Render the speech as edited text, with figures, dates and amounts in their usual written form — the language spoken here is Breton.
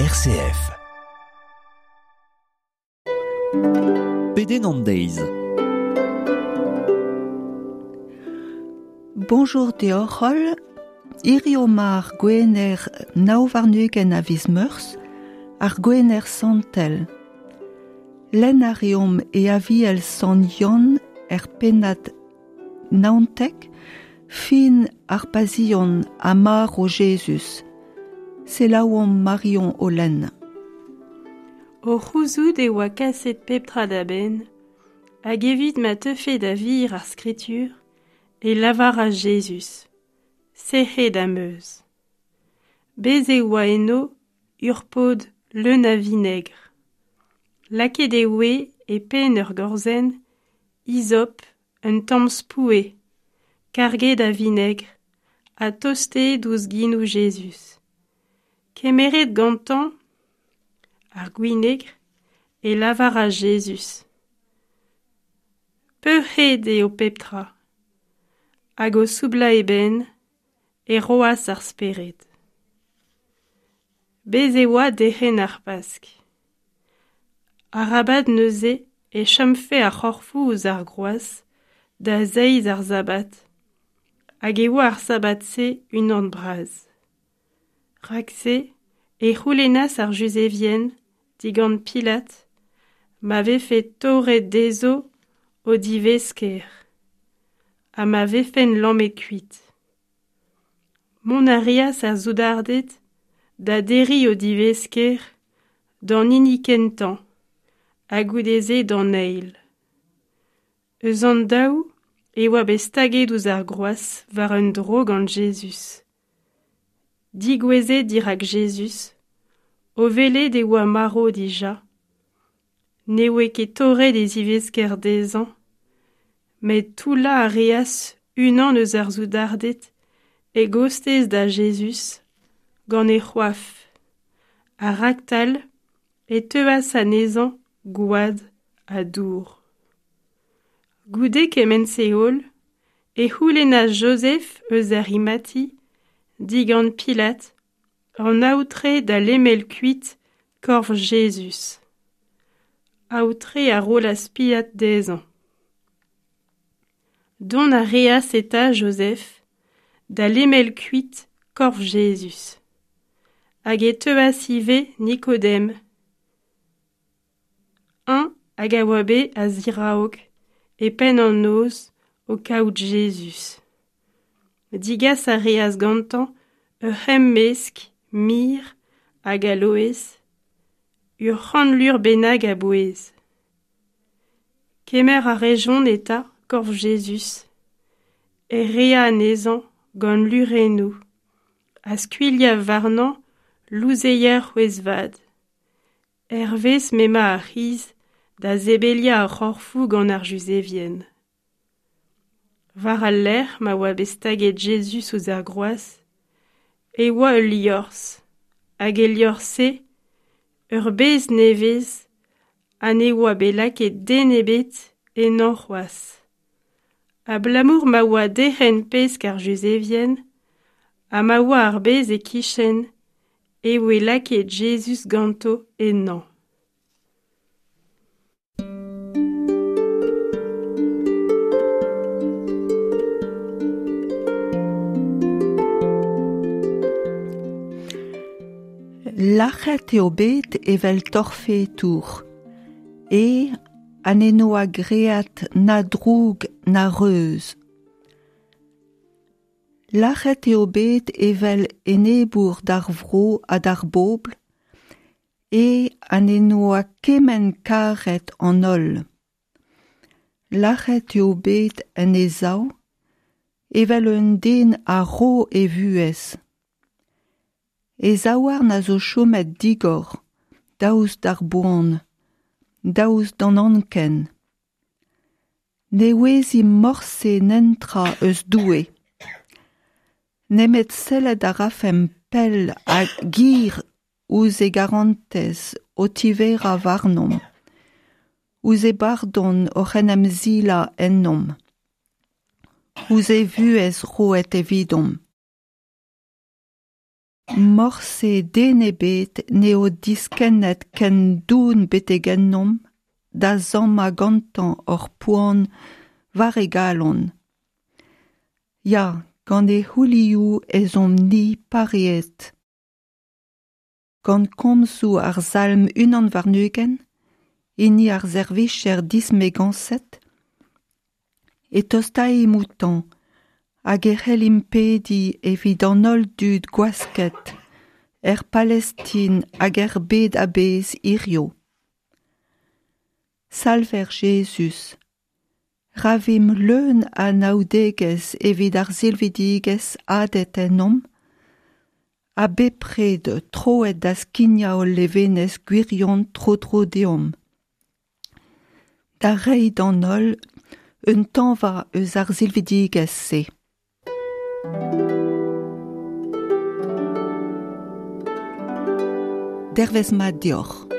RCF. Pedenn an deiz. Bonjour deoc'h holl, hirio 'ma ar Gwener 29 a viz Meurzh, ar Gwener Santel. Lenn a reomp e Aviel Sant Yann er pennad 19, fin ar Pasion ha marv Jezuz. Selaouomp Marion o lenn. O c'houzout e oa kaset pep tra da benn, hag evit ma teufe da vir ar skritur, e lavaras Jezuz, Sec'hed am eus. Bez' e oa eno ur pod leun a vinegr. Lakaet e oe e penn ur gorzenn, izop, un tamm spoue, karget a vinegr, ha tostaet ouzh genoù Jezuz. Kemeret gantañ ar gwinegr, e lavaras Jezuz: Peurc'hraet eo pep tra. Hag o soublañ e benn, e roas ar spered. Bez' e oa derc'hent ar Pask. Arabat neuze e chomfe ar c'horfoù ouzh ar groaz da zeiz ar sabad, hag e oa ar sabad-se unan bras. Rak-se e c'houlennas ar Juzevien digant Pilat ma vefe torret dezho o divesker ha ma vefent lammet kuit. Mont a reas ar soudarded da derriñ o divesker d'an hini kentañ ha goude-se d'an eil. Eus an daou e oa bet staget ouzh ar groaz war un dro gant Jezuz. Digouezet dirak Jezuz, o welet e oa marv dija, ne oe ket torret e zivesker dezhañ, met toullañ a reas unan eus ar soudarded e gostez da Jezuz gant e c'hoaf, ha raktal e teuas anezhañ gwad ha dour. Goude kement-se holl e c'houlennas Jozef eus Arimati digant Pilat an aotre da lemel kuit korf Jezuz. Aotre a rolas Pilat dezhañ. Dont a reas eta Jozef da lemel kuit korf Jezuz. Hag e teuas ivez Nikodem, eñ hag a oa bet a-ziraok e penn an noz o kaout Jezuz. Digas a reas gantañ ur c'hemmesk mir hag aloez, ur c'hant lur bennak a bouez. Kemer a rejont eta korf Jezuz, e rea anezhañ gant lurennoù, ha skuilhañ warnañ louzeier c'hwezh-vat. Hervez m'emañ ar c'hiz da sebeliañ ar c'horfoù gant ar Juzevien. War al lec'h ma oa bet staget Jezuz ouzh ar groaz, e oa ul liorzh, hag el liorzh-se ur bez nevez ha ne oa bet lakaet den ebet ennañ c'hoazh. Abalamour ma oa derc'hent pesk ar Juzevien ha ma oa ar bez e-kichen e voe lakaet Jezuz ganto ennañ. Lac'het eo bet evel torfetour e ha n'e-noa graet na droug na reuz. Lac'het eo bet evel enebour d'ar vro ha d'ar bobl e ha n'e-noa kement karet an holl. Lac'het eo bet en e sav evel un den a ro e vuhez. E zaouarn a zo chomet digor, daoust d'ar boan, daoust d'an anken. Ne ouezimp morse netra eus Doue. Nemet sellet a rafemp pell hag hir ouzh e garantez o tiverañ warnomp, ouzh e bardon oc'h en em silañ ennomp, ouzh e vuhez roet evidomp. Morse den ebet n'eo diskennet ken doun betek ennomp da sammañ gantañ hor poan war e galon. Ya, gant e c'houlioù ez omp-ni pareet. Gant komzoù ar salm 21, hini ar servijer dismegañset, e tostaimp outañ hag e c'hellimp pediñ evit an holl dud gwasket er Palestin hag er bed a-bezh hiziv. Salver Jezuz, ra vimp leun a anaoudegezh evit ar silvidigezh hadet ennomp, ha bepred troet da skignañ hol levenez gwirion tro-dro deomp. Da reiñ d'an holl un tañva eus ar silvidigezh-se. Dervezh mat deoc'h.